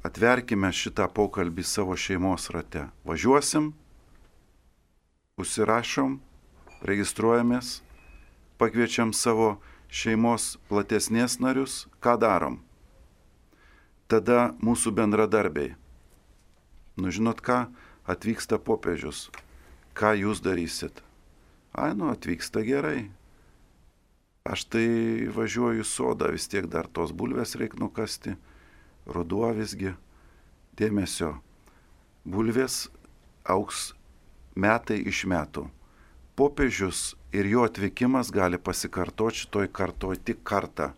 Atverkime šitą pokalbį savo šeimos rate. Važiuosim, užsirašom, registruojamės, pakviečiam savo šeimos platesnės narius, ką darom. Tada mūsų bendradarbiai. Žinot ką, atvyksta popiežius. Ką jūs darysit? Atvyksta gerai. Aš tai važiuoju į sodą, vis tiek dar tos bulvės reik nukasti. Ruduo visgi. Dėmesio. Bulvės augs metai iš metų. Popiežius ir jo atvykimas gali pasikartoti šitoj kartoj tik kartą.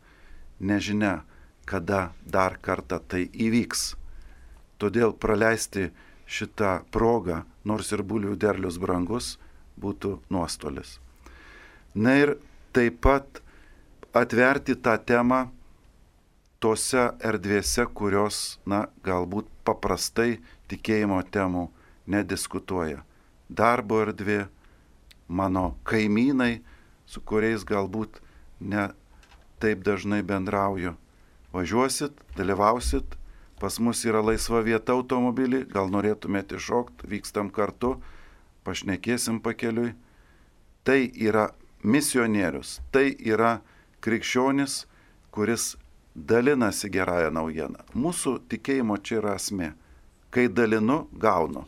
Nežinia, kada dar kartą tai įvyks. Todėl praleisti šitą progą, nors ir bulvių derlius brangus, būtų nuostolis. Ir taip pat atverti tą temą tose erdvėse, kurios, galbūt paprastai tikėjimo temų nediskutuoja. Darbo erdvė, mano kaimynai, su kuriais galbūt ne taip dažnai bendrauju. Važiuosit, dalyvausit, pas mus yra laisva vieta automobilį, gal norėtumėte iššokti, vykstam kartu, pašnekėsim pakeliui. Tai yra misionierius, tai yra krikščionis, kuris dalinasi gerąją naujieną. Mūsų tikėjimo čia yra esmė. Kai dalinu, gaunu.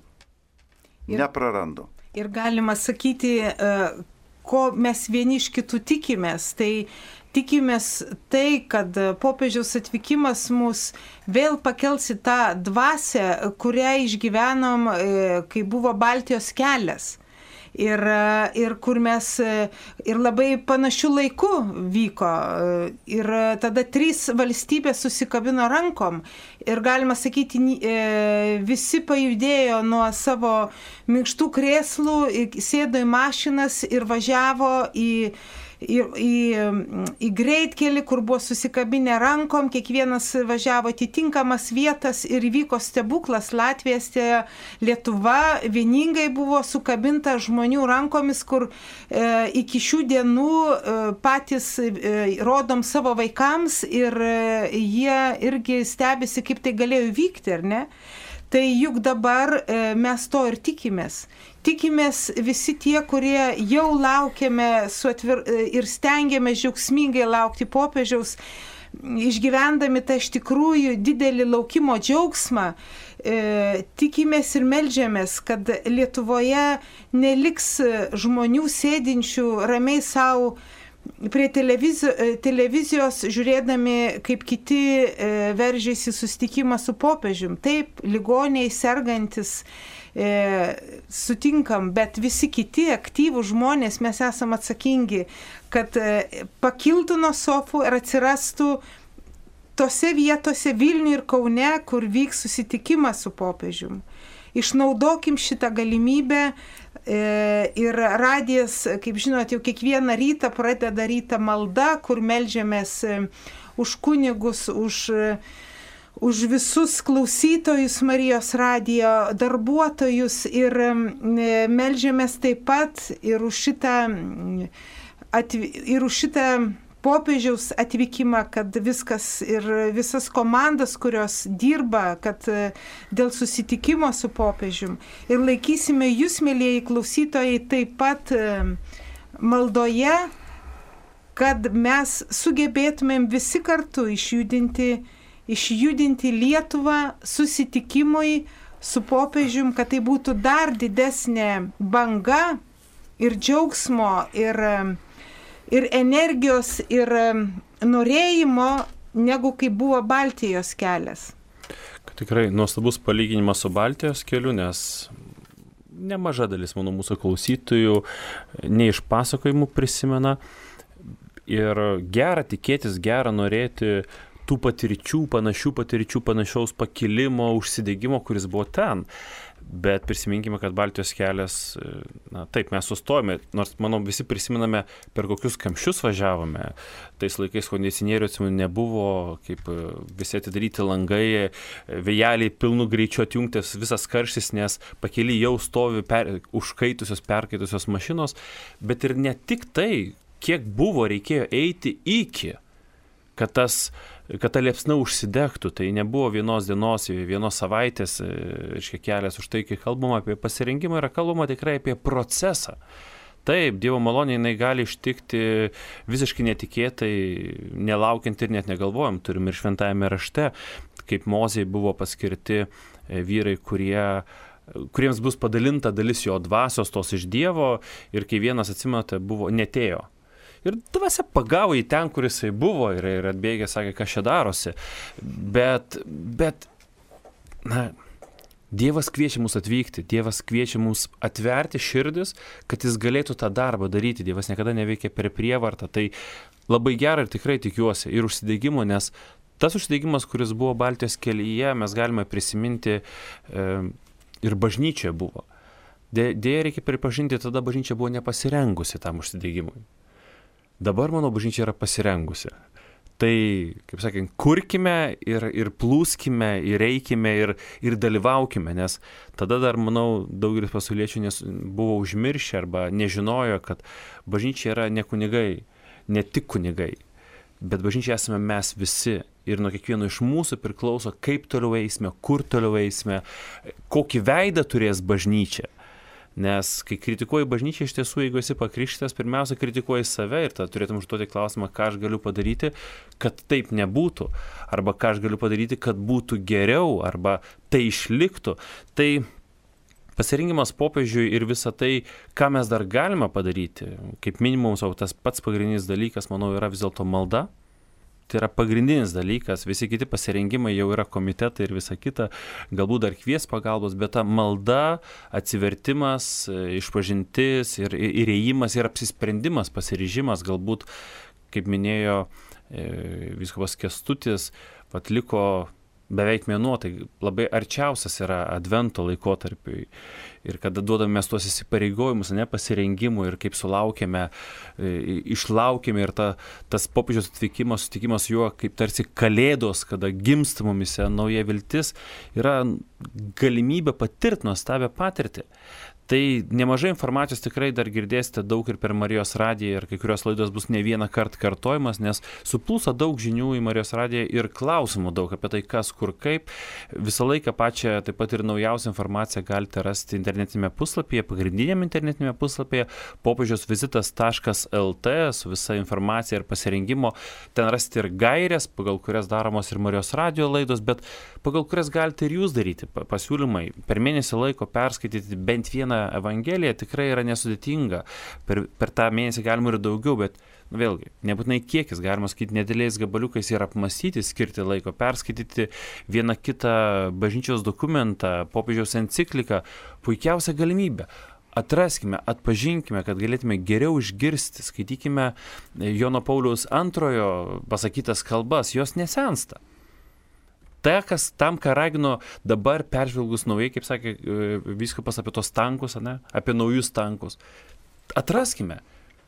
Neprarandu. Ir galima sakyti, ko mes vieni iš kitų tikimės, tai tikimės tai, kad popiežiaus atvykimas mus vėl pakels į tą dvasią, kurią išgyvenom, kai buvo Baltijos kelias. Ir kur mes ir labai panašių laikų vyko. Ir tada 3 valstybės susikabino rankom. Ir galima sakyti, visi pajudėjo nuo savo minkštų krėslų, sėdo į mašinas ir važiavo į greitkelį, kur buvo susikabinę rankom, kiekvienas važiavo atitinkamas vietas ir įvyko stebuklas. Latvija, Estija, Lietuva vieningai buvo sukabinta žmonių rankomis, kur iki šių dienų patys rodom savo vaikams ir jie irgi stebisi, kaip tai galėjo vykti, ar ne? Tai juk dabar mes to ir tikimės. Tikimės visi tie, kurie jau laukiame ir stengiame džiaugsmingai laukti popiežiaus, išgyvendami tą iš tikrųjų didelį laukimo džiaugsmą, tikimės ir meldžiamės, kad Lietuvoje neliks žmonių sėdinčių ramiai savo prie televizijos žiūrėdami, kaip kiti veržiasi susitikimą su popiežium. Taip, ligoniai, sergantis, sutinkam, bet visi kiti aktyvūs žmonės, mes esam atsakingi, kad pakiltų nuo sofų ir atsirastų tose vietose Vilniuje ir Kaune, kur vyks susitikimas su popiežium. Išnaudokim šitą galimybę ir radijas, kaip žinot, jau kiekvieną rytą pradeda rytą malda, kur meldžiamės už kunigus, už visus klausytojus Marijos radijo darbuotojus ir meldžiamės taip pat ir už šitą popiežiaus atvykimą, kad viskas ir visas komandas, kurios dirba, kad dėl susitikimo su popiežium. Ir laikysime jūs, mėlieji klausytojai, taip pat maldoje, kad mes sugebėtumėm visi kartu išjudinti Lietuvą susitikimui su popiežium, kad tai būtų dar didesnė banga ir džiaugsmo ir energijos, ir norėjimo, negu kai buvo Baltijos kelias. Tikrai nuostabus palyginimas su Baltijos keliu, nes nemaža dalis mūsų klausytojų ne iš pasakojimų prisimena. Ir gera tikėtis, gera norėti tų patirčių, panašaus pakilimo, užsidegimo, kuris buvo ten. Bet prisiminkime, kad Baltijos kelias, taip, mes sustojame, nors, manau, visi prisimename, per kokius kamščius važiavome. Tais laikais kondicionierių nebuvo, kaip visi atidaryti langai, vėjeliai pilnu greičiu atjungtas visas karštis, nes pakely jau stovi perkaitusios mašinos, bet ir ne tik tai, kiek reikėjo eiti iki, kad ta liepsna užsidegtų. Tai nebuvo vienos dienos, vienos savaitės kelias. Už tai, kai kalbama apie pasirengimą, yra kalbama tikrai apie procesą. Taip, Dievo malonė jinai gali ištikti visiškai netikėtai, nelaukiant ir net negalvojam. Turim ir šventajame rašte, kaip Mozei buvo paskirti vyrai, kuriems bus padalinta dalis jo dvasios tos iš Dievo, ir kai vienas, atsimenate, netėjo. Ir dvasia pagavo į ten, kur jisai buvo, ir atbėgė, sakė, kas čia darosi. Bet Dievas kviečia mus atvykti, Dievas kviečia mus atverti širdis, kad jis galėtų tą darbą daryti. Dievas niekada neveikia per prievartą. Tai labai gera ir tikrai tikiuosi ir užsidegimo, nes tas užsidegimas, kuris buvo Baltijos kelyje, mes galime prisiminti ir bažnyčia buvo. Deja, reikia pripažinti, tada bažnyčia buvo nepasirengusi tam užsidegimui. Dabar, mano, bažnyčia yra pasirengusi. Tai, kaip sakant, kurkime ir plūskime, ir eikime, ir dalyvaukime, nes tada dar, manau, daugelis pasauliečių buvo užmiršę arba nežinojo, kad bažnyčia yra ne kunigai, ne tik kunigai, bet bažnyčia esame mes visi. Ir nuo kiekvieno iš mūsų priklauso, kaip toliau eisime, kur toliau eisime, kokį veidą turės bažnyčia. Nes kai kritikuoji bažnyčią, iš tiesų, jeigu esi pakrikštytas, pirmiausia kritikuoji save ir tada turėtum užduoti klausimą, ką aš galiu padaryti, kad taip nebūtų, arba ką aš galiu padaryti, kad būtų geriau, arba tai išliktų. Tai pasirinkimas popiežiui ir visa tai, ką mes dar galime padaryti, kaip minimum, tas pats pagrindinis dalykas, manau, yra vis dėlto malda. Tai yra pagrindinis dalykas, visi kiti pasirinkimai jau yra komitetai ir visa kita, galbūt dar kvies pagalbos, bet ta malda, atsivertimas, išpažintis ir įėjimas ir apsisprendimas, pasiryžimas, galbūt, kaip minėjo vyskupas Kęstutis, atliko beveik mėnuo, tai labai arčiausias yra advento laikotarpiui. Ir kada duodame mes tuos įsipareigojimus, pasirengimų ir kaip sulaukėme, išlaukėme ir tas popiežiaus atvykimas, sutikimas juo kaip tarsi kalėdos, kada gimsta mumise nauja viltis, yra galimybė patirti nuostabią patirtį. Tai nemažai informacijos tikrai dar girdėsite daug ir per Marijos radiją ir kai kurios laidos bus ne vieną kartą kartojimas, nes suplūsa daug žinių į Marijos radiją ir klausimų daug apie tai, kas, kur, kaip. Visą laiką pačią taip pat ir naujausią informaciją galite rasti internetinėme puslapyje, pagrindinėme internetinėme puslapyje popiežiausvizitas.lt su visa informacija ir pasirengimo. Ten rasti ir gairės, pagal kurias daromos ir Marijos radijo laidos, bet pagal kurias galite ir jūs daryti pasiūlymai. Per mėnesį laiko perskaityti bent vieną Evangelija tikrai yra nesudėtinga. Per tą mėnesį galima ir daugiau, bet vėlgi, nebūtinai kiekis, galima skaityti nedėliais gabaliukais ir apmastyti, skirti laiko, perskaityti vieną kitą bažnyčios dokumentą, popiežiaus encikliką, puikiausia galimybė. Atraskime, atpažinkime, kad galėtume geriau išgirsti, skaitykime Jono Pauliaus II pasakytas kalbas, jos nesensta. Tam, ką ragino dabar peržvelgus naujai, kaip sakė vyskupas apie tos tankus, apie naujus tankus. Atraskime,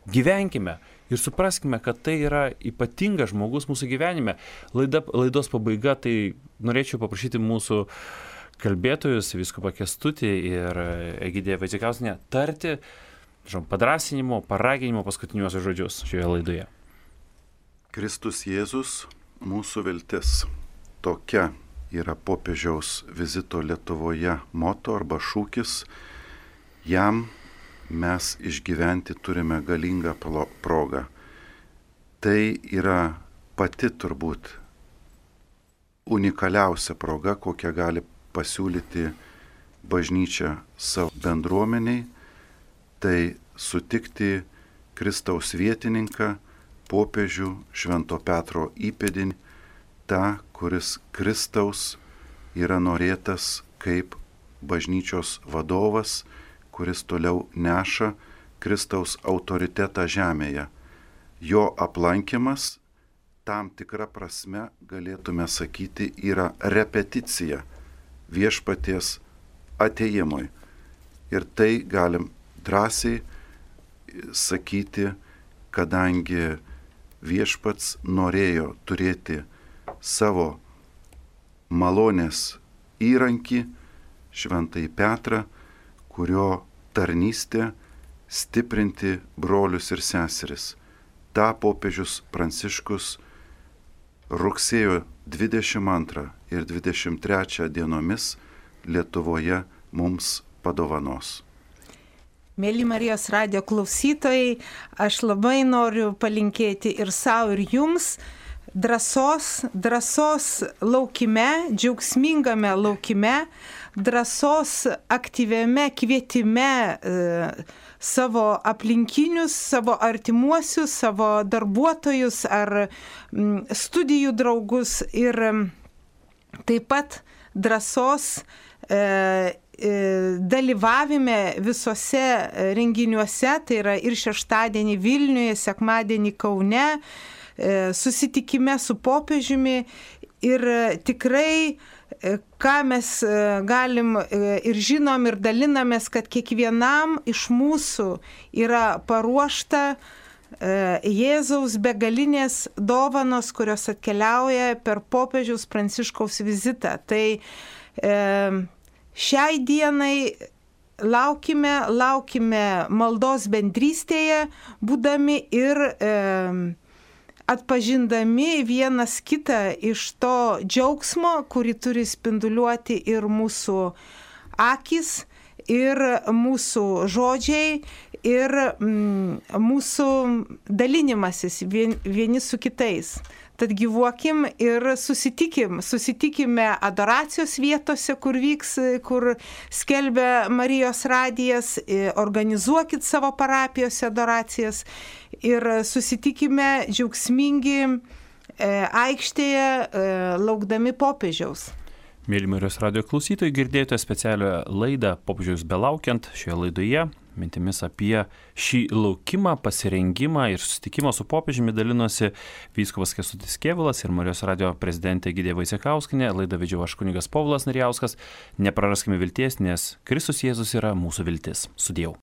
gyvenkime ir supraskime, kad tai yra ypatingas žmogus mūsų gyvenime. Laidos pabaiga, tai norėčiau paprašyti mūsų kalbėtojus, vyskupą Kęstutį ir Egidiją Vaicekauskienę tarti padrąsinimo, paraginimo paskutiniuosius žodžius šioje laidoje. Kristus Jėzus, mūsų viltis. Tokia yra popiežiaus vizito Lietuvoje moto arba šūkis. Jam mes išgyventi turime galingą progą. Tai yra pati turbūt unikaliausia proga, kokią gali pasiūlyti bažnyčia savo bendruomeniai. Tai sutikti Kristaus vietininką, popiežių Švento Petro įpėdinį, tą, kuris Kristaus yra norėtas kaip bažnyčios vadovas, kuris toliau neša Kristaus autoritetą žemėje. Jo aplankymas, tam tikra prasme, galėtume sakyti, yra repeticija viešpaties atėjimui. Ir tai galim drąsiai sakyti, kadangi viešpats norėjo turėti savo malonės įrankį, Šventąjį Petrą, kurio tarnystė stiprinti brolius ir seseris. Ta popiežius Pranciškus rugsėjo 22 ir 23 dienomis Lietuvoje mums padovanos. Mėly Marijos radijo klausytojai, aš labai noriu palinkėti ir savo, ir jums drąsos laukime, džiaugsmingame laukime, drąsos aktyviame kvietime savo aplinkinius, savo artimuosius, savo darbuotojus ar studijų draugus ir taip pat drąsos dalyvavime visose renginiuose, tai yra ir šeštadienį Vilniuje, sekmadienį Kaune, susitikime su popiežiumi ir tikrai, ką mes galim ir žinom ir dalinamės, kad kiekvienam iš mūsų yra paruošta Jėzaus begalinės dovanos, kurios atkeliauja per popiežiaus Pranciškaus vizitą. Tai šiai dienai laukime maldos bendrystėje, būdami ir atpažindami vienas kitą iš to džiaugsmo, kurį turi spinduliuoti ir mūsų akys, ir mūsų žodžiai, ir mūsų dalinimasis vieni su kitais. Tad gyvuokim ir susitikime adoracijos vietose, kur skelbia Marijos radijas, organizuokit savo parapijose adoracijas ir susitikime džiaugsmingi aikštėje, laukdami popiežiaus. Mėly Marijos radijo klausytojai, girdėjote specialią laidą Popiežiaus belaukiant. Šioje laidoje mintimis apie šį laukimą, pasirengimą ir susitikimą su popiežiumi dalinosi vyskupas Kęstutis Kėvalas ir Marijos radijo prezidentė Egidija Vaicekauskienė. Laidą vedžiau aš kunigas Povilas Narjauskas. Nepraraskime vilties, nes Kristus Jėzus yra mūsų viltis. Sudieu.